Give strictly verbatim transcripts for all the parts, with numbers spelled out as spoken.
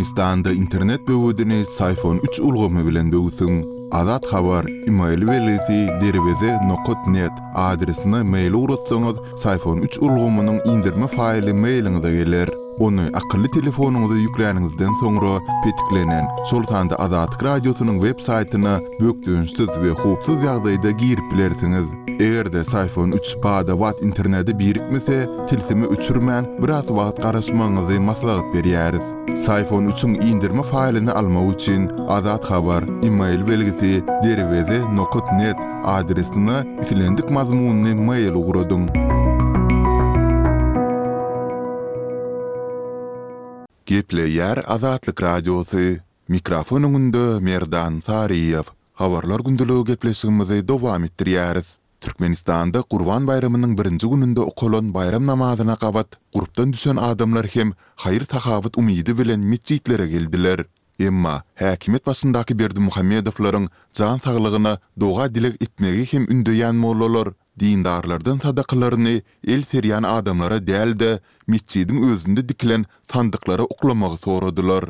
Türkmenistanda internet böwedini Syfon üç ulgamy bilen böwsüň. Azat Habar, email belgisi derweze nokat net adresine mail ugratsaňyz, Syfon üç ulgamynyň indirme faýly mailiňize geler. Ony akylly telefonyňyza ýükläniňizden soňra petiklenen, şol sanda Azatlyk Radiosynyň web saýtyna bökdençsiz we howpsuz ýagdaýda girip bilersiňiz. Eger-de Syfon üç bada-bat internete birikmese, tilsimi öçürmän, biraz wagt garaşmagyňyzy maslahat berýäris. Syfon üçiň indirme faýlyny almak üçin Azat Habar, email belgisi derweze nokat net adresine islendik mazmunly mail ugradyň. Gepleýär Azatlyk Radiosy. Mikrofon öňünde Merdan Saryýew. Habarlar gündeligi gepleşigimizi dowam etdirýäris. Türkmenistanda Gurban baýramynyň birinji gününde okalan bayram namazyna gabat gurpdan düşen adamlar hem haýyr-sahawat umydy bilen metjitlere geldiler. Emma häkimiýet başyndaky Berdimuhamedowlaryň jan saglygyna doga dileg etmegi hem ündeýän mollalar dindarlardan sadakalaryny el serýän adamlara däl-de, metjidiň özünde dikilen sandyklara oklamagy soradylar.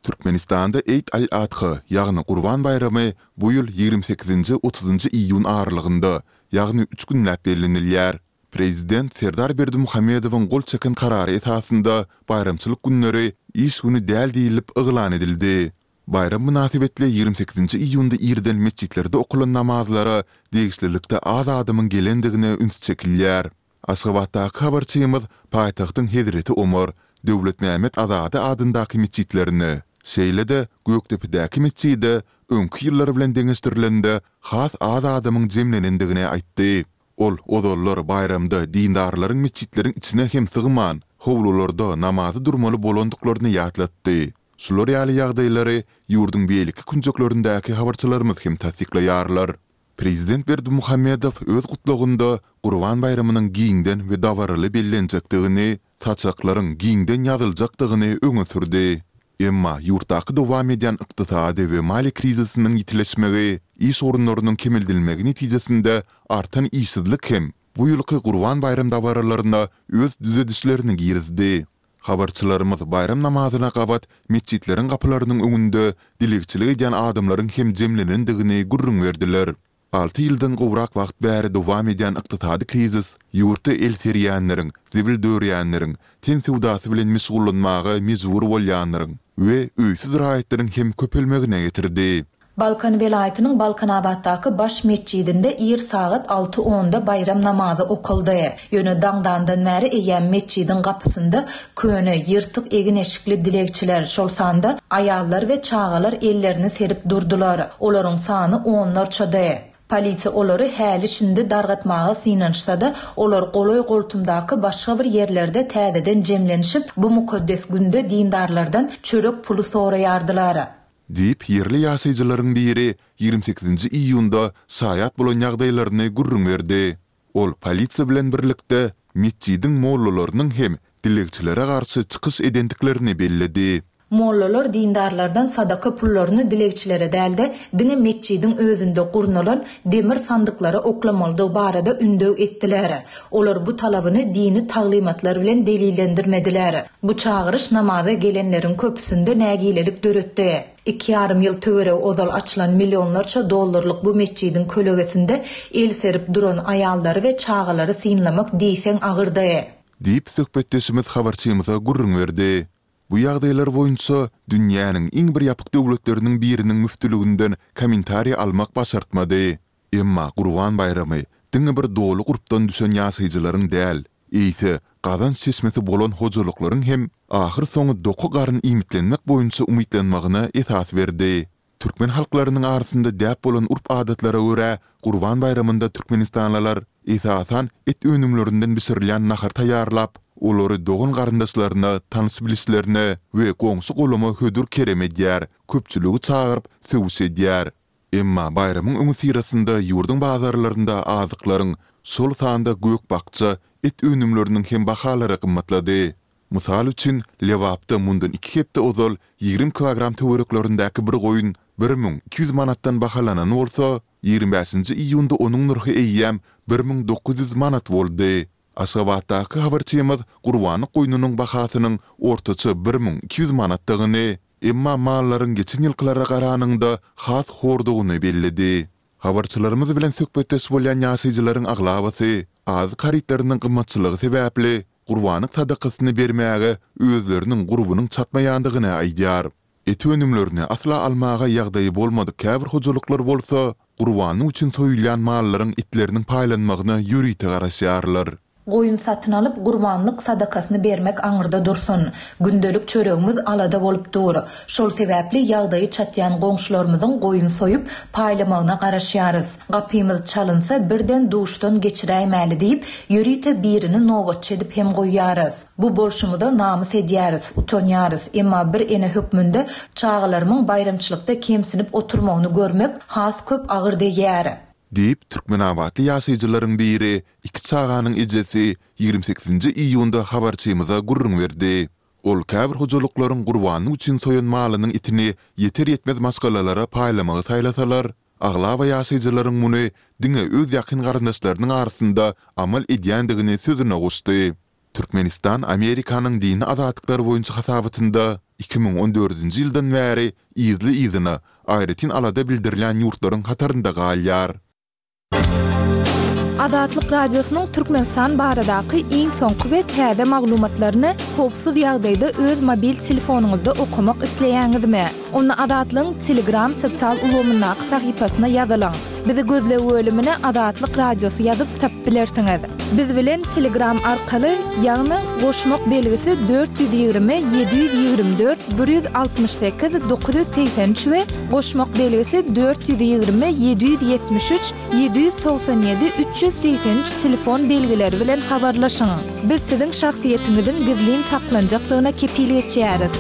Türkmenistanda Eýd al-Adha, ýagny Gurban baýramy bu ýyl ýigrimi sekizinji otuzynjy iýun aralygynda, ýagny üç günläp bellenilýär. Prezident Serdar Berdimuhamedowyň gol çeken karary esasynda baýramçylyk günleri iş güni däl diýlip yglan edildi. Baýram mynasybetli ýigrimi sekizinji iýunda irden metjitlerde okalan namazlara degişlilikde az adamyň gelendigine üns çekilýär. Aşgabatdaky habarçymyz paýtagtyň Hezreti Omar, Döwletmämmet Azady adyndaky metjitlerine, şeýle-de Gökdepedäki metjide öňki ýyllar bilen deňeşdirilende has az adamyň jemlenendigini aýtdy. Ol ozallar baýramda dindarlaryň metjitleriň içine hem sygman, howlularda namaza durmaly bolandyklaryny ýatlatdy. Şular ýaly ýagdaýlary ýurduň beýleki künjeklerindäki habarçylarymyz hem tassyklaýarlar. Prezident Berdimuhamedow öz gutlagynda Gurban baýramynyň giňden we dabaraly bellenjekdigini, saçaklaryň giňden ýazyljakdygyny öňe sürdi. Emma ýurtdaky dowam edýän ykdysady we maliýe krizisiniň ýitileşmegi, iş orunlarynyň kemeldilmegi netijesinde artan işsizlik hem bu ýylky Gurban baýram dabaralaryna öz düzedişlerini girizdi. Habarçylarymyz baýram namazyna gabat metjitleriň gapylarynyň öňünde dilegçilik edýän adamlaryň hem jemlenendigini gürrüň berdiler. Alty ýyldan gowrak wagt bäri dowam edýän ykdysady krizis ýurtda el serýänleriň, zibil dörýänleriň, ten söwdasy bilen meşgullanmaga mejbur bolýanlaryň we öýsüz raýatlaryň hem köpelmegine getirdi. Balkan welaýatynyň Balkanabatdaky baş metjidinde ir sagat alty onda baýram namazy okaldy. Ýöne daňdandan bäri eýýäm metjidiň gapysynda köne, ýyrtyk egin-eşikli dilegçiler, şol sanda aýallar we çagalar ellerini serip durdular. Olaryň sany onlarçady. Polisiýa olary häli-şindi dargatmaga synanyşsa-da, olar golaý-goltumdaky başga bir ýerlerde täzeden jemlenişip, bu mukaddes günde dindarlardan çörek puly soraýardylar. Diýip, ýerli ýaşaýjylaryň biri ýigrimi sekizinji iýunda şaýat bolan ýagdaýlaryny gürrüň berdi. Ol polisiýa bilen birlikde metjidiň mollalarynyň hem dilegçilere garşy çykyş edendiklerini belledi. Mollalar dindarlardan sadaka pullaryny dilegçilere däl-de, diňe metjidiň özünde gurnalan demir sandyklara oklamalydygy barada ündew etdiler. Olar bu talabyny dini taglymatlar bilen delillendirmediler. Bu çagyryş namaza gelenleriň köpüsinde nägilelik döretdi. Iki ýarym ýyl töweregi ozal açylan millionlarça dollarlyk bu metjidiň kölegesinde el serip duran aýallary we çagalary synlamak diýseň agyrdy. Diýip, söhbetdeşimiz habarçymyza gürrüň berdi. Bu ýagdaýlar boýunça dünýäniň iň bir ýapyk döwletleriniň biriniň müftüliginden kommentariý almak başartmady. Emma Gurban baýramy diňe bir doly gurpdan düşen ýaşaýjylaryň däl, eýse gazanç çeşmesi bolan hojalyklaryň hem ahyrsoňy doky garyn iýmitlenmek boýunça umytlanmagyna esas berdi. Türkmen halklarynyň arasynda däp bolan urp-adatlara görä, Gurban baýramynda türkmenistanlylar, esasan, et önümlerinden bişirilýän nahar taýýarlap, olary dogan-garyndaşlaryna, tanyş-bilişlerine we goňşy-golama hödür-kerem edýär, köpçüligi çagyryp, söwüş edýär. Emma baýramyň öňüsyrasynda ýurduň bazarlarynda azyklaryň, şol sanda gök-bakja, et önümleriniň hem bahalary gymmatlady. Mysal üçin, Lebapda mundan iki hepde ozal ýigrimi kilogram töwereklerindäki bir goýun bir müň iki ýüz manatdan bahalanan bolsa, ýigrimi bäşinji iýunda onuň nyrhy eýýäm bir müň dokuz ýüz manat boldy. Aşgabatdaky habarçymyz gurbanlyk goýnunyň bahasynyň ortaça bir müň iki ýüz manatdygyny, emma mallaryň geçen ýylkylara garanyňda has hordugyny belledi. Habarçylarymyz bilen söhbetdeş bolýan ýaşaýjylaryň aglabasy azyk harytlarynyň gymmatçylygy sebäpli gurbanlyk sadakasyny bermäge özleriniň gurbunyň çatmaýandygyny aýdýar. Et önümlerini asla almaga ýagdaýy bolmadyk käbir hojalyklar bolsa, gurbanlyk üçin soýulýan mallaryň etleriniň paýlanmagyna ýörite garaşýarlar. Goýun satyn alyp, gurbanlyk sadakasyny bermek aňyrda dursun. Gündelik çöregimiz alada bolup dur. Şol sebäpli ýagdaýy çatýan goňşularymyzyň goýun soýup, paýlamagyna garaşýarys. Gapymyz çalynsa, birden duşdan geçiräýmäli diýip, ýörite birini nobatçy edip hem goýýarys. Bu bolşumyza namys edýäris, utanýarys. Emma bir ene hökmünde çagalarymyň baýramçylykda kemsinip oturmagyny görmek has köp agyr degýär. Diýip, türkmenabatly ýaşaýjylaryň biri, iki çaganyň ejesi ýigrimi sekizinji iýunda habarçymyza gürrüň berdi. Ol käbir hojalyklaryň gurbanlyk üçin soýan malynyň etini ýeter-ýetmez maşgalalara paýlamagy saýlasalar, aglaba ýaşaýjylaryň muny diňe öz ýakyn garyndaşlarynyň arasynda amal edýändigini sözüne goşdy. Türkmenistan Amerikanyň dini azatlyklar boýunça hasabatynda iki müň on dördünji ýyldan bäri yzly-yzyna aýratyn alada bildirilýän ýurtlaryň hatarynda galýar. Azatlyk Radiosynyň Türkmenistan baradaky iň soňky we täze maglumatlaryny howpsuz ýagdaýda öz mobil telefonyňyzda okamak isleýäňizmi? Onda Azatlygyň Telegram sosial ulgamyndaky sahypasyna ýazylyň. Bizi gözleg bölümine Azatlyk Radiosy ýazyp tapyp bilersiňiz. Biz bilen Telegram arkaly, ýagny goşmak belgisi dört ýüz ýigrimi ýedi ýüz ýigrimi dört bir ýüz altmyş sekiz dokuz ýüz segsen üç we goşmak belgisi dört ýüz ýigrimi ýedi ýüz ýetmiş üç ýedi ýüz togsan ýedi üç ýüz segsen üç telefon belgileri bilen habarlaşyň. Biz siziň şahsyýetiňiziň gizlin saklanjakdygyna kepil geçýäris.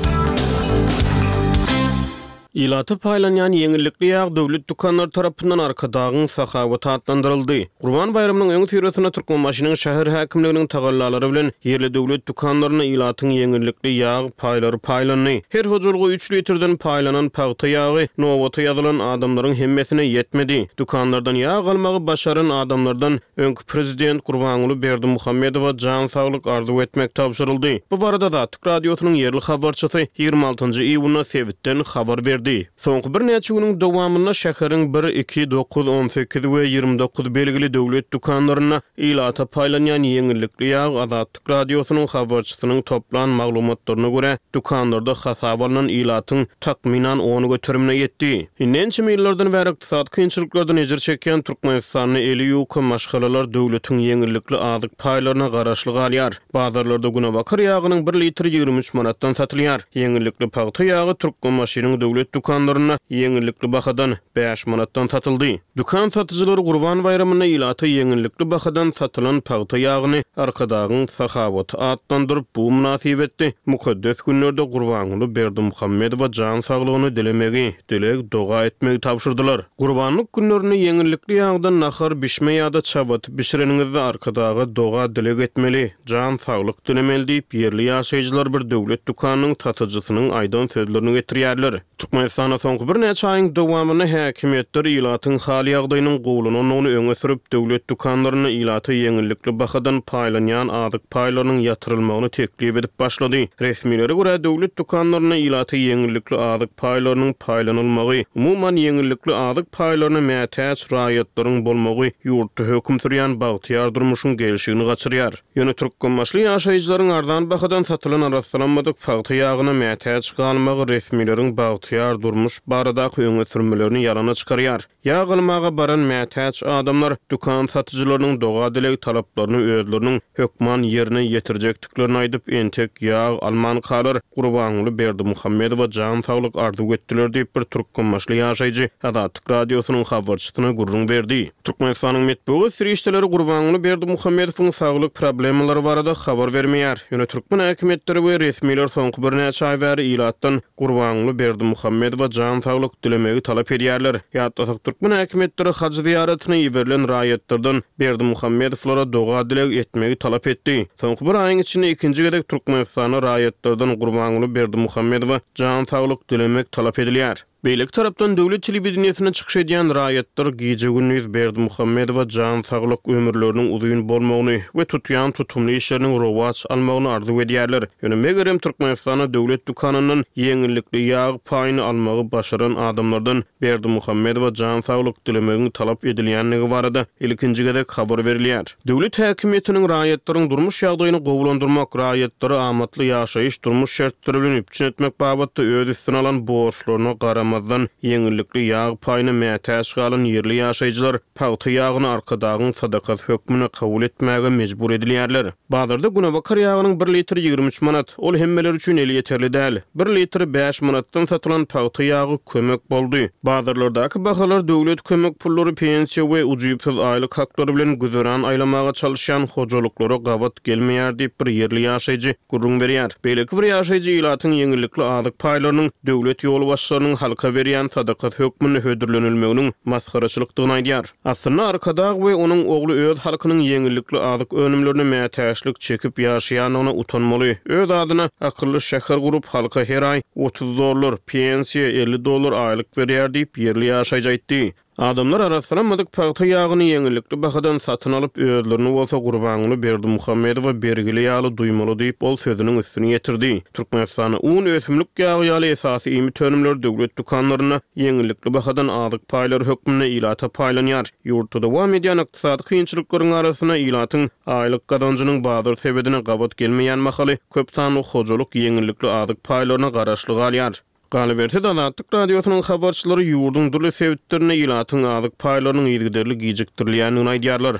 Ilata paýlanýan ýeňillikli ýag döwlet dükanlary tarapyndan Arkadagyň sahawaty atlandyryldy. Gurban baýramynyň öňüsyrasynda Türkmenbaşynyň şäher häkimliginiň tagallalary bilen ýerli döwlet dükanlarynda ilatyň ýeňillikli ýag paýlary paýlandy. Her hojalyga üç litrden paýlanan pagta ýagy nobata ýazylan adamlaryň hemmesine ýetmedi. Dükanlardan ýag almagy başaran adamlardan öňki prezident Gurbanguly Berdimuhamedowa jan saglyk arzuw etmek tabşyryldy. Bu barada Azatlyk Radiosynyň ýerli habarçysy ýigrimi altynjy iýunda sebitden habar berdi. Soňky birnäçe günüň dowamynda şäheriň bir, iki, dokuz, on sekiz we ýigrimi dokuz belgili döwlet dükanlarynda ilata paýlanýan ýeňillikli ýag Azatlyk Radiosynyň habarçysynyň toplan maglumatlaryna görä, dükanlarda hasaba alnan ilatyň takmynan on göterimine ýetdi. Indi ençeme ýyllardan bäri ykdysady kynçylyklardan ejir çekýän Türkmenistanda eli ýuka maşgalalar döwletiň ýeňillikli azyk paýlaryna garaşly galýar. Bazarlarda günebakar ýagynyň bir litri ýigrimi üç manatdan satylýar. Ýeňillikli pagta ýagy Türkmenbaşynyň döwlet dükanlarynda ýeňillikli bahadan bäş manatdan satyldy. Dükan satyjylary Gurban baýramynda ilata ýeňillikli bahadan satylan pagta ýagyny Arkadagyň sahawaty atlandyryp, bu mynasybetli mukaddes günlerde Gurbanguly Berdimuhamedowa jan saglygyny dilemegi, dileg doga etmegi tabşyrdylar. Gurbanlyk günlerinde ýeňillikli ýagdan nahar bişme ýa-da çabaty bişireniňizde Arkadaga doga dileg etmeli, jan saglyk dilemeli diýip, ýerli ýaşaýjylar bir döwlet dükanynyň satyjysynyň aýdan sözlerini getirýärler. Türkmenistanda soňky birnäçe aýyň dowamynda häkimiýetler ilatyň hal ýagdaýynyň gowulanandygyny öňe sürüp, döwlet dükanlarynda ilata ýeňillikli bahadan paýlanýan azyk paýlarynyň ýatyrylmagyny teklip edip başlady. Resmilere görä, döwlet dükanlarynda ilata ýeňillikli azyk paýlarynyň paýlanylmagy, umuman ýeňillikli azyk paýlaryna mätäç raýatlaryň bolmagy ýurtda höküm sürýän bagtyýar durmuşyň gelşigini gaçyrýar. Ýöne türkmenbaşly ýaşaýjylaryň arzan bahadan satylan arassalanmadyk pagta ýagyna mätäç galmagy resmileriň bagtyýar durmuş baradaky öňe sürmelerini ýalana çykarýar. Ýag almaga baran mätäç adamlar dükan satyjylarynyň doga dileg talaplaryny özleriniň hökman ýerine ýetirjekdiklerini aýdyp, entek ýag almankalar Gurbanguly Berdimuhamedowa jan saglyk arzuw etdiler diýip, bir türkmenbaşly ýaşaýjy Azatlyk Radiosynyň habarçysyna gürrüň berdi. Türkmenistanyň metbugat serişdeleri Gurbanguly Berdimuhamedowyň saglyk problemalary barada habar bermeýär. Ýöne türkmen häkimiýetleri we resmiler soňky birnäçe aý bäri ilatdan Gurbanguly Berdimuhamedowa jan saglyk dilemegi talap edýärler. Ýatlasak, türkmen häkimiýetleri haj zyýaratyna iberilen raýatlardan Berdimuhamedowlara doga dileg etmegi talap etdi. Soňky bir aýyň içinde ikinji gezek Türkmenistanda raýatlardan Gurbanguly Berdimuhamedowa jan saglyk dilemek talap edilýär. Beýleki tarapdan döwlet telewideniýesinde çykyş edýän raýatlar gije-gündiz Berdimuhamedowa jan saglyk, ömürleriniň uzyn bolmagyny we tutýan tutumly işleriniň rowaç almagyny arzuw edýärler. Ýöne megerem Türkmenistanda döwlet dükanyndan ýeňillikli ýag paýyny almagy başaran adamlardan Berdimuhamedowa jan saglyk dilemegiň talap edilýändigi barada ilkinji gezek habar berilýär. Döwlet häkimiýetiniň raýatlaryň durmuş ýagdaýyny gowulandyrmak, raýatlary amatly ýaşaýyş durmuş şertleri bilen üpjün etmek babatda öz üstüne alan borçlaryna garamazdan ýeňillikli ýag paýyna mätäç galan ýerli ýaşaýjylar pagta ýagyny Arkadagyň sadakasy hökmünde kabul etmäge mejbur edilýärler. Bazarda günebakar ýagynyň bir litri ýigrimi üç manat, ol hemmeler üçin elýeterli däl. Bir litri bäş manatdan satylan pagta ýagy kömek boldy. Bazarlardaky bahalar döwlet kömek pullary, pensiýa we ujypsyz aýlyk haklary bilen güzeran aýlamaga çalışýan hojalyklara gabat gelmeýär diýip bir ýerli ýaşaýjy gürrüň berýär. Beýleki bir ýaşaýjy ilatyň ýeňillikli azyk paýlarynyň döwlet ýolbaşçylarynyň halka berýän sadakasy hökmünde hödürlenilmeginiň masgaraçylykdygyny aýdýar. Aslynda Arkadag we onuň ogly öz halkynyň ýeňillikli azyk önümlerine mätäçlik çekip ýaşaýandygyna utanmaly. Öz adyna akylly şäher gurup halka her aý otuz dollar, pensiýa elli dollar aýlyk berýär diýip ýerli ýaşaýjy aýtdy. Adamlar arassalanmadyk pagta ýagyny ýeňillikli bahadan satyn alyp, özlerini bolsa Gurbanguly Berdimuhamedowa bergili ýaly duýmaly diýip ol sözüniň üstüni ýetirdi. Türkmenistanda un, ösümlik ýagy ýaly esasy iýmit önümleri döwlet dükanlarynda ýeňillikli bahadan azyk paýlary hökmünde ilata paýlanýar. Ýurtda dowam edýän ykdysady kynçylyklaryň arasynda ilatyň aýlyk gazanjynyň bazar sebedine gabat gelmeýän mahaly köp sanly hojalyk ýeňillikli azyk paýlaryna garaşly galýar. Galyberse-de Azatlyk Radiosynyň habarçylary ýurduň dürli sebitlerinde ilatyň azyk paýlarynyň yzygiderli gijikdirilýändigini aýdýarlar.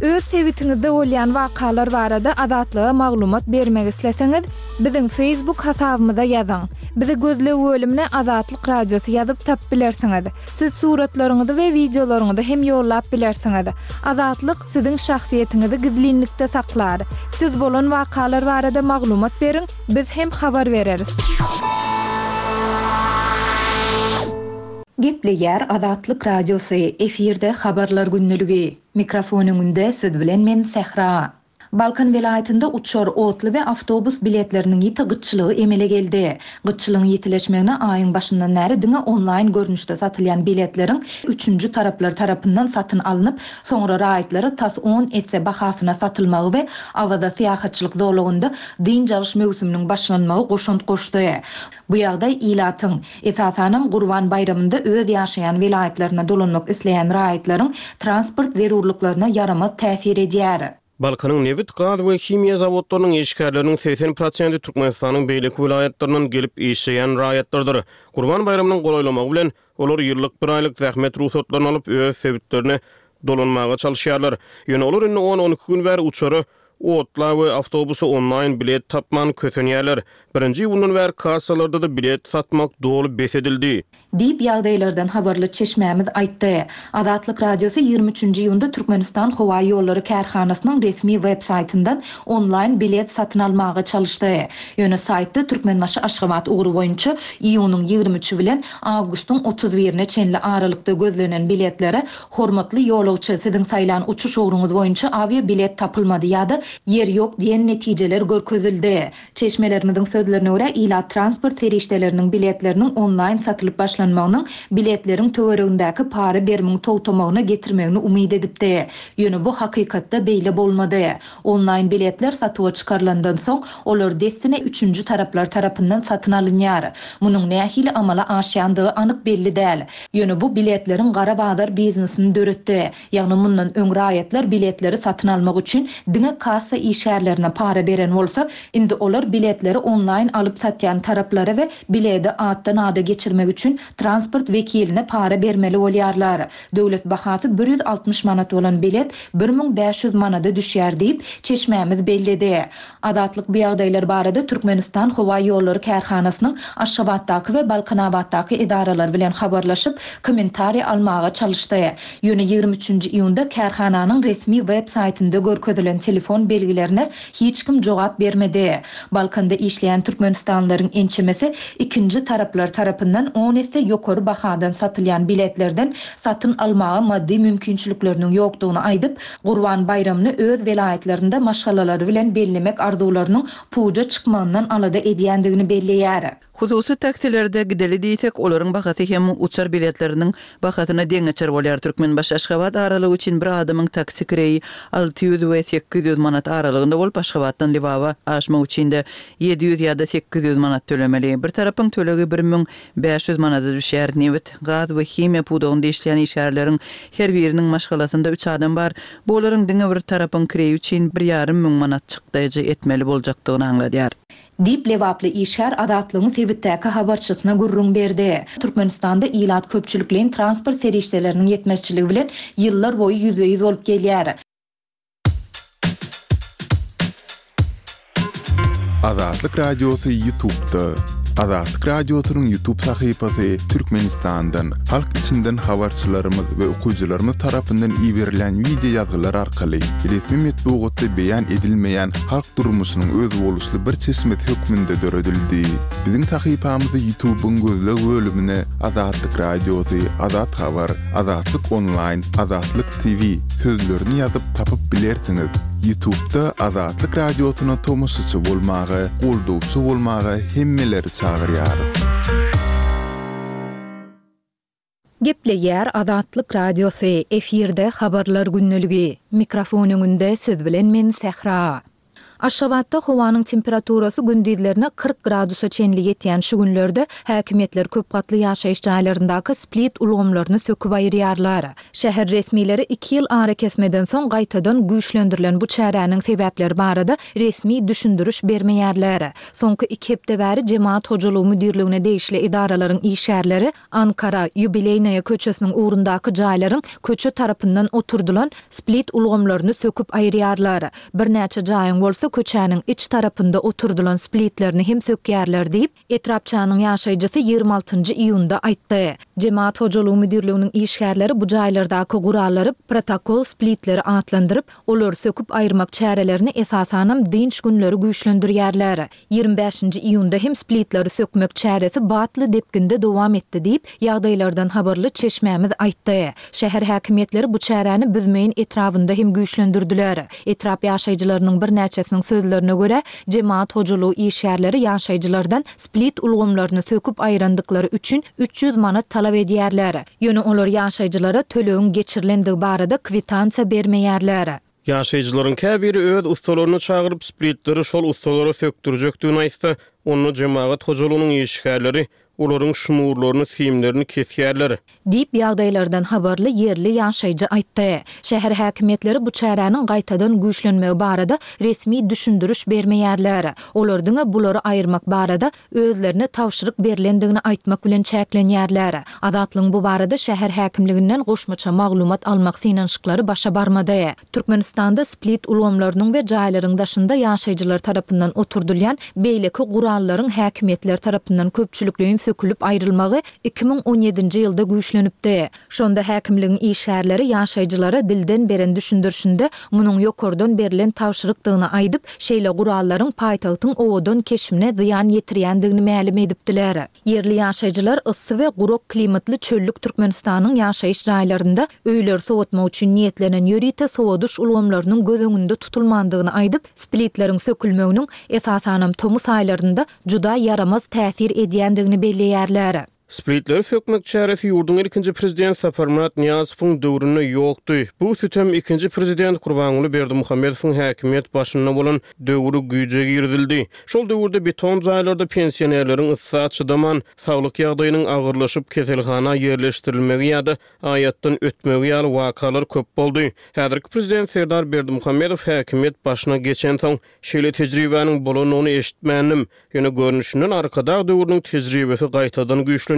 Öz sebitiňizde bolýan wakalar barada Azatlyga maglumat bermek isleseňiz, biziň Facebook hasabymyza ýazyň. Bizi gözleg bölümine Azatlyk Radiosy ýazyp tapyp bilersiňiz. Siz suratlaryňyzy we wideolaryňyzy hem ýollap bilersiňiz. Azatlyk siziň şahsyýetiňizi gizlinlikde saklar. Siz bolan wakalar barada maglumat beriň, biz hem habar bereris. Gepleýär Azatlyk Radiosy, efirde habarlar günlügi. Mikrofon öňünde siz bilen men Sähra. Balkan welaýatynda uçar, otly we awtobus biletleriniň ýiti gytçylygy emele geldi. Gytçylygyň ýitileşmegine aýyň başyndan bäri diňe onlaýn görnüşde satylýan biletleriň üçünji taraplar tarapyndan satyn alnyp, soňra raýatlara tas on esse bahasyna satylmagy we Awaza syýahatçylyk zolagynda dynç alyş möwsüminiň başlanmagy goşant goşdy. Bu ýagdaý ilatyň, esasanam Gurban baýramynda öz ýaşaýan welaýatlaryna dolanmak isleýän raýatlaryň transport zerurlyklaryna ýaramaz täsir edýär. Balkanyň nebit, gaz we himiýa zawodlarynyň işgärleriniň segsen prosenti Türkmenistanyň beýleki welaýatlaryndan gelip işleýän raýatlardyr. Gurban baýramynyň golaýlamagy bilen olar ýyllyk bir aýlyk zähmet rugsatlaryny alyp öz sebitlerine dolanmaga çalışýarlar. Ýöne olar indi on-on iki gün bäri uçara, otla we awtobusa onlaýn bilet tapman kösenýärler. Birinji iýundan bäri kassalarda-da bilet satmak doly bes edildi. Diýip ýagdaýlardan habarly çeşmämiz aýtdy. Azatlyk Radiosy ýigrimi üçünji iýunda Türkmenistan Howa Ýollary kärhanasynyň resmi web saýtyndan onlaýn bilet satyn almaga çalyşdy. Ýöne saýtda Türkmenbaşy Aşgabat ugry boýunça iýunyň ýigrimi üçi bilen awgustyň otuz birine çenli aralykda gözlenen biletlere hormatly ýolagçy siziň saýlan uçuş ugruňyz boýunça awia bilet tapylmady ýa-da ýer ýok diýen netijeler görkezildi. Çeşmelerimiziň sözlerine görä ilat transport serişdeleriniň biletleriniň onlaýn satylyp başlanmagynyň biletleriň töweregindäki para berimiň togtamagyna getirmegini umyt edipdi. Ýöne bu hakykatda beýle bolmady. Onlaýn biletler satuwa çykarylandan soň olar dessine üçünji taraplar tarapyndan satyn alynýar. Munuň nähili amala aşýandygy anyk belli däl. Ýöne bu biletleriň gara bazar biznesini döretdi. Ýagny mundan öň raýatlar biletleri satyn almak üçin diňe kassa işgärlerine para beren bolsa, indi olar biletleri onlaýn alyp satýan taraplara we bileti atdan ada geçirmek üçin transport wekiline para bermeli bolýarlar. Döwlet bahasy bir ýüz altmyş manat bolan bilet bir müň bäş ýüz manada düşýär diýip çeşmämiz belledi. Azatlyk bu ýagdaýlar barada Türkmenistan Howa Ýollary kärhanasynyň Aşgabatdaky we Balkanabatdaky edaralar bilen habarlaşyp, kommentariý almaga çalyşdy. Ýöne ýigrimi üçünji iýunda kärhananyň resmi web saýtynda görkezilen telefon belgilerine hiç kim jogap bermedi. Balkanda işleýän türkmenistanlylaryň ençemesi ikinji taraplar tarapyndan on esse ýokary bahadan satylýan biletlerden satyn almaga maddy mümkinçilikleriniň ýokdugyny aýdyp, Gurban baýramyny öz welaýatlarynda maşgalalary bilen bellemek arzuwlarynyň puja çykmagyndan alada edýändigini belleýär. Hususy taksilerde gideli diýsek, olaryň bahasy hem uçar biletleriniň bahasyna deňeçer bolýar. Türkmenbaşy-Aşgabat aralygy üçin bir adamyň taksi kireýi alty ýüz we sekiz ýüz manat aralygynda bolup, Aşgabatdan Lebaba aşmak üçin-de ýedi ýüz ýa-da sekiz ýüz manat tölemeli. Bir tarapyň tölegi bir müň bäş ýüz manada düşýär. Nebit, gaz we himiýa pudagynda işleýän işgärleriň her biriniň maşgalasynda üç adam bar. Bu olaryň diňe bir tarapyň kireýi üçin bir ýarym müň manat çykdaýjy etmeli boljakdygyny aňladýar. Diýip, lebaply işgär Azatlygyň sebitdäki habarçysyna gürrüň berdi. Türkmenistanda ilat köpçülikleýin transport serişdeleriniň ýetmezçiligi bilen ýyllar boýy ýüzbe-ýüz bolup gelýär. Azatlyk Radiosy YouTube'da. Azatlyk Radiosynyň YouTube sahypasy Türkmenistandan, halk içinden habarçylarymyz we okyjylarymyz tarapyndan iberilen wideo ýazgylar arkaly resmi metbugatda beýan edilmeýän halk durmuşynyň özboluşly bir çeşmesi hökmünde döredildi. Biziň sahypamyzy YouTube'yň gözleg bölümine Azatlyk Radiosy, Azat Habar, Azatlyk Online, Azatlyk T V sözlerini ýazyp tapyp bilersiňiz. YouTube'da Azatlyk Radiosyna tomaşaçy bolmaga, goldawçy bolmaga hemmeleri çagyrýarys. Gepleýär Azatlyk Radiosy, efirde habarlar gündeligi. Mikrofon öňünde siz bilen men Sähra. Aşgabatda howanyň temperaturasy gündizlerine kyrk gradusa çenli ýetýän şu günlerde häkimiýetler köp gatly ýaşaýyş jaýlaryndaky split ulgamlaryny söküp aýyrýarlar. Şäher resmileri iki ýyl ara kesmeden soň gaýtadan güýçlendirilen bu çäräniň sebäpleri barada resmi düşündiriş bermeýärler. Soňky iki hepde bäri Jemaat hojalygy müdirligine degişli edaralaryň işgärleri Ankara, Ýubileýnaýa köçesiniň ugrundaky jaýlaryň köçe tarapyndan oturdylan split ulgamlaryny söküp aýyrýarlar. Birnäçe jaýyň bolsa köçäniň iç tarapynda oturdylan splitlerini hem sökýärler diýip, etrapçanyň ýaşaýjysy ýigrimi altynjy iýunda aýtdy. Jemaat hojalygy müdirliginiň işgärleri bu jaýlardaky gurallary protokol splitleri atlandyryp, olary söküp aýyrmak çärelerini esasanam dynç günleri güýçlendirýärler. Ýigrimi bäşinji iýunda hem splitleri sökmek çäresi batly depginde dowam etdi diýip, ýagdaýlardan habarly çeşmämiz aýtdy. Şäher häkimiýetleri bu çäräni Büzmeýin etrabynda hem güýçlendirdiler. Etrap ýaşaýjylarynyň birnäçesiniň sözlerine görä, jemaat hojalygy işgärleri ýaşaýjylardan split ulgamlaryny söküp aýyrandyklary üçin üç ýüz manat talap edýärler. Ýöne olar ýaşaýjylara tölegiň geçirilendigi barada kwitansiýa bermeýärler. Ýaşaýjylaryň käbiri öz ustalaryny çagyryp splitleri şol ustalara sökdürjekdigini aýtsa, onda jemaat hojalygynyň işgärleri olaryň şnurlaryny, simlerini kesýärler. Diýip, ýagdaýlardan habarly ýerli ýaşaýjy aýtdy. Şäher häkimiýetleri bu çäräniň gaýtadan güýçlenmegi barada resmi düşündiriş bermeýärler. Olar diňe bulary aýyrmak barada özlerine tabşyryk berlendigini aýtmak bilen çäklenýärler. Azatlygyň bu barada şäher häkimliginden goşmaça maglumat almak synanyşyklary başa barmady. Türkmenistanda split ulgamlarynyň we jaýlaryň daşynda ýaşaýjylar tarapyndan oturdylýan beýleki gurallaryň häkimiýetler tarapyndan köpçülikleýin sökülip aýrylmagy iki müň on ýedinji ýylda güýçlenipdi. Şonda häkimligiň işgärleri ýaşaýjylara dilden beren düşündirişinde munuň ýokardan berlen tabşyrykdygyny aýdyp, şeýle gurallaryň paýtagtyň owadan keşbine zyýan ýetirýändigini mälim edipdiler. Ýerli ýaşaýjylar yssy we gurak klimatly çöllük Türkmenistanyň ýaşaýyş jaýlarynda öýleri soğutmak üçin niýetlenen ýörite sowadyş ulgamlarynyň göz öňünde tutulmandygyny aýdyp, splitleriň sökülmeginiň esasanam tomus aýlarynda juda ýaramaz täsir edýändigini belleýärler. Splitleri sökmek çäresi ýurduň ilkinji prezident Saparmyrat Nyýazowyň döwründe ýokdy. Bu sütem ikinji prezident Gurbanguly Berdimuhamedowyň häkimiýet başynda bolan döwri güýje girizildi. Şol döwürde beton jaýlarda pensionerleriň yssa çydaman, saglyk ýagdaýynyň agyrlaşyp keselhana ýerleşdirilmegi ýa-da aýatdan ötmegi ýaly wakalar köp boldy. Häzirki prezident Serdar Berdimuhamedow häkimiýet başyna geçensoň şeýle tejribäniň bolanyny eşitmändim. Ýöne görnüşinden Arkadag döwrüniň tejribesi gaýtadan güýçlenýär.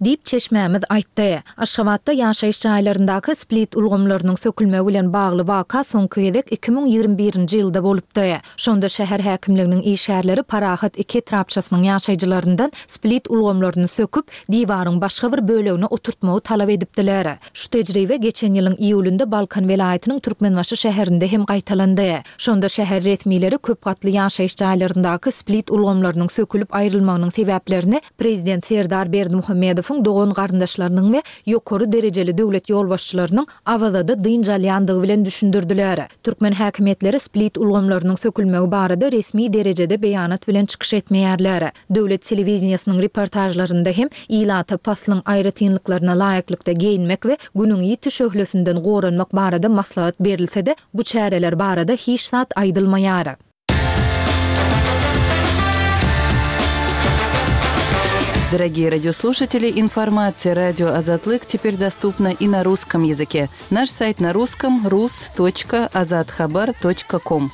Diýip, çeşmämiz aýtdy. Aşgabatda ýaşaýyş jaýlaryndaky split ulgamlarynyň sökülmegi bilen bagly waka soňky gezek iki müň ýigrimi birinji ýylda bolupdy. Şonda şäher häkimliginiň işgärleri Parahat iki etrapçasynyň ýaşaýjylaryndan split ulgamlaryny söküp, diwaryň başga bir bölegine oturtmagy talap edipdiler. Şu tejribe geçen ýylyň iýulynda Balkan welaýatynyň Türkmenbaşy şäherinde hem gaýtalandy. Şonda şäher resmileri köp gatly ýaşaýyş jaýlaryndaky split ulgamlarynyň sökülip aýrylmagynyň sebäplerini prezident Serdar Berdimuhamedowyň dogan-garyndaşlarynyň we ýokary derejeli döwlet ýolbaşçylarynyň Awazada dynç alýandygy bilen düşündirdiler. Türkmen häkimiýetleri split ulgamlarynyň sökülmegi barada resmi derejede beýanat bilen çykyş etmeýärler. Döwlet telewideniýesiniň reportažlarynda hem ilata paslyň aýratynlyklaryna laýyklykda geýinmek we Günüň ýiti şöhlesinden goranmak barada maslahat berilse-de, bu çäreler barada hiç zat aýdylmaýar. Дорогие радиослушатели, информация радио Азатлык теперь доступна и на русском языке. Наш сайт на русском rus точка azathabar точка ком.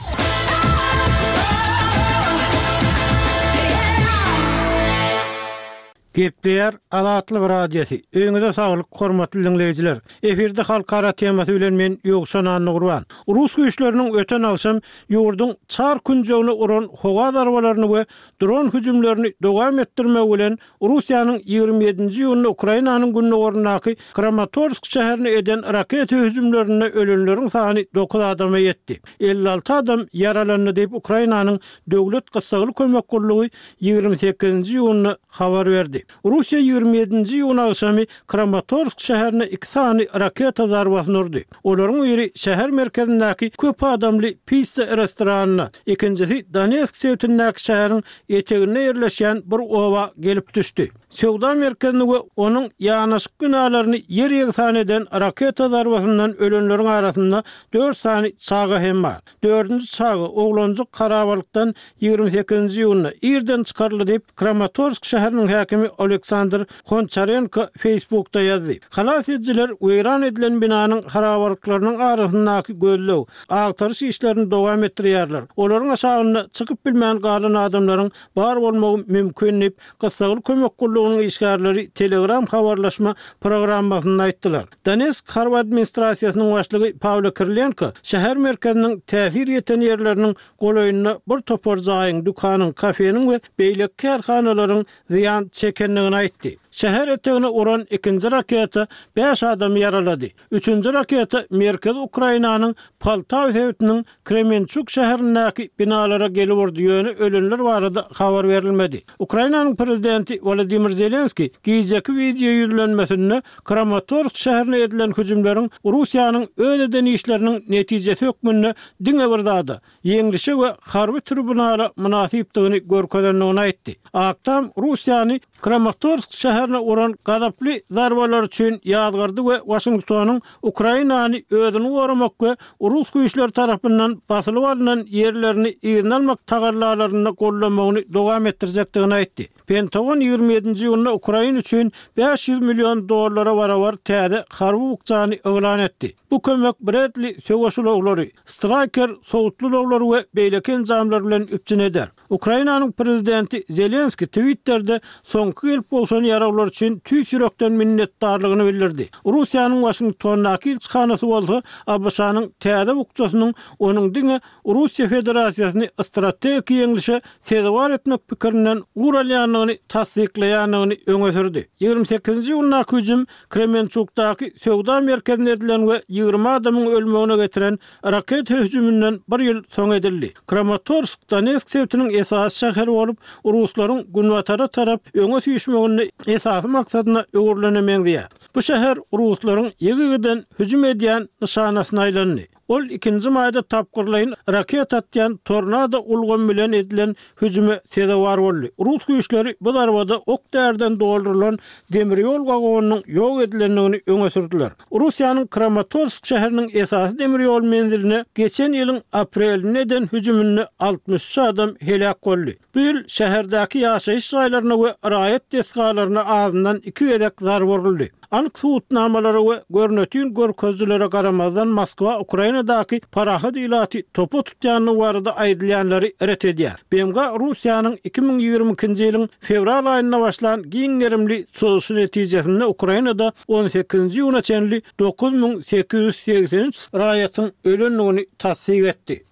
Gepleýär Azatlyk Radiosy. Öýüňize saglyk, hormatly diňleýjiler. Efirde halkara temasy bilen men Ýowşan Annagurban. Rus güýçleriniň öten agşam ýurduň çar künjegine uran howa zarbalaryny we dron hüjümlerini dowam etdirmek bilen Russiýanyň ýigrimi ýedinji iýunda Ukrainanyň gündogaryndaky Kramatorsk şäherine eden raketa hüjümlerinde ölenleriň sany dokuz adama ýetdi. Elli alty adam ýaralandy diýip Ukrainanyň döwlet gyssagly kömek gullugy ýigrimi sekizinji iýunda habar berdi. Russiýa ýigrimi ýedinji iýun agşamy Kramatorsk şäherine iki sany raketa zarbasyny urdy. Olaryň biri şäher merkezindäki köp adamly pizza restoranyna, ikinjisi Donetsk sebitindäki şäheriň eteginde ýerleşýän bir oba gelip düşdi. Söwda merkezini we onuň ýanaşyk binalaryny ýer ýegsan eden raketa zarbasyndan ölenleriň arasynda dört sany çaga hem bar. Dördünji çaga oglanjyk harabalykdan ýigrimi sekizinji iýunda irden çykaryldy diýip Kramatorsk şäheriniň häkimi Aleksandr Honçarenko Facebookda ýazdy. Halas edijiler weýran edilen binanyň harabalyklarynyň arasyndaky gözleg, agtaryş işlerini dowam etdirýärler. Olaryň aşagynda çykyp bilmän galan adamlaryň bar bolmagy mümkin diýip gyssagly kömek gullugynyň işgärleri Telegram habarlaşma programmasynda aýtdylar. Donetsk harby administrasiýasynyň başlygy Pawlo Kirilenko şäher merkeziniň täsir ýeten ýerleriniň golaýynda bir topar jaýyň, dükanyň, kafeniň we beýleki kärhanalaryň zyýan çekendigini aýtdy. Şäher etegine uran ikinji raketa bäş adamy ýaralady. Üçünji raketa Merkezi Ukrainanyň Poltawa sebitiniň Kremençuk şäherindäki binalara gelip urdy, ýöne ölenler barada habar berilmedi. Ukrainanyň prezidenti Wladimir Zelenski gijeki wideo ýüzlenmesinde Kramatorsk şäherine edilen hüjümleriň Russiýanyň öz eden işleriniň netijesi hökmünde diňe bir zada, ýeňlişe we harby tribunala mynasypdygyny görkezendigini aýtdy. Ak Tam Russiýany Kramatorsk şäherine uran gazaply zarbalar üçin ýazgardy we Waşingtonyň Ukrainany özüni goramak we rus güýçleri tarapyndan basylyp alnan ýerlerini yzyna almak tagallalarynda gollamagyny dowam etdirjekdigini aýtdy. Pentagon ýigrimi ýedinji iýunda Ukraina üçin bäş ýüz million dollara barabar täze harby bukjany yglan etdi. Bu kömek Bradley söweş ulaglary, Striker sowutly ulaglary we beýleki enjamlar bilen üpjün eder. Ukrainanyň prezidenti Zelenski Twitter'de soňky gelip gowşan ýaraglar üçin tüýs ýürekden minnetdarlygyny bildirdi. Russiýanyň Waşingtondaky ilçihanasy bolsa A B Ş-nyň täze bukjasynyň onuň diňe Russiýa Federasiýasyny strategik ýeňlişe sezewar etmek pikirinden ugur alýandygyny tassyklaýandygyny öňe sürdi. Ýigrimi sekizinji iýundaky hüjüm Kremençukdaky söwda merkezine edilen we ýigrimi adamyň ölmegine getiren raketa hüjüminden bir ýyl soň edildi. Kramatorsk Donetsk sebitiniň esasy şäheri bolup, ruslaryň günbatara tarap öňe süýşmeginde esasy maksadyna öwrülene meňzeýär. Bu şäher ruslaryň ýygy-ýygydan hüjüm edýän nyşanasyna aýlandy. Ol ikinji maýda tapgyrlaýyn raketa atýan tornado ulgamy bilen edilen hüjüme sezewar boldy. Rus güýçleri bu zarbada ok därden doldurylan demir ýol wagonynyň ýok edilendigini öňe sürdüler. Russiýanyň Kramatorsk şäheriniň esasy demir ýol menziline geçen ýylyň aprelinde eden hüjüminde altmyş üç adam heläk boldy. Bu ýyl şäherdäki ýaşaýyş jaýlaryna we raýat desgalaryna azyndan iki gezek zarba uruldy. Anyk subutnamalara we görnetin görkezijilere garamazdan, Moskwa Ukrainadaky parahat ilaty topa tutýandygy barada aýdylýanlary ret edýär. BMG Russiýanyň iki müň ýigrimi ikinji ýylyň fewral aýynda başlan giň gerimli çozuşy netijesinde Ukrainada on sekizinji iýuna çenli dokuz müň sekiz ýüz segsen üç raýatyň ölendigini tassyk etdi.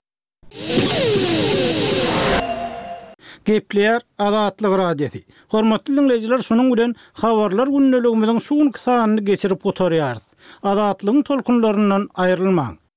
Gepleýär Azatlyk Radiosy. Hormatly diňleýjiler, şunuň bilen Habarlar gündeligimiziň şu günki sanyny geçirip gutarýarys. Azatlygyň tolkunlaryndan aýrylmaň!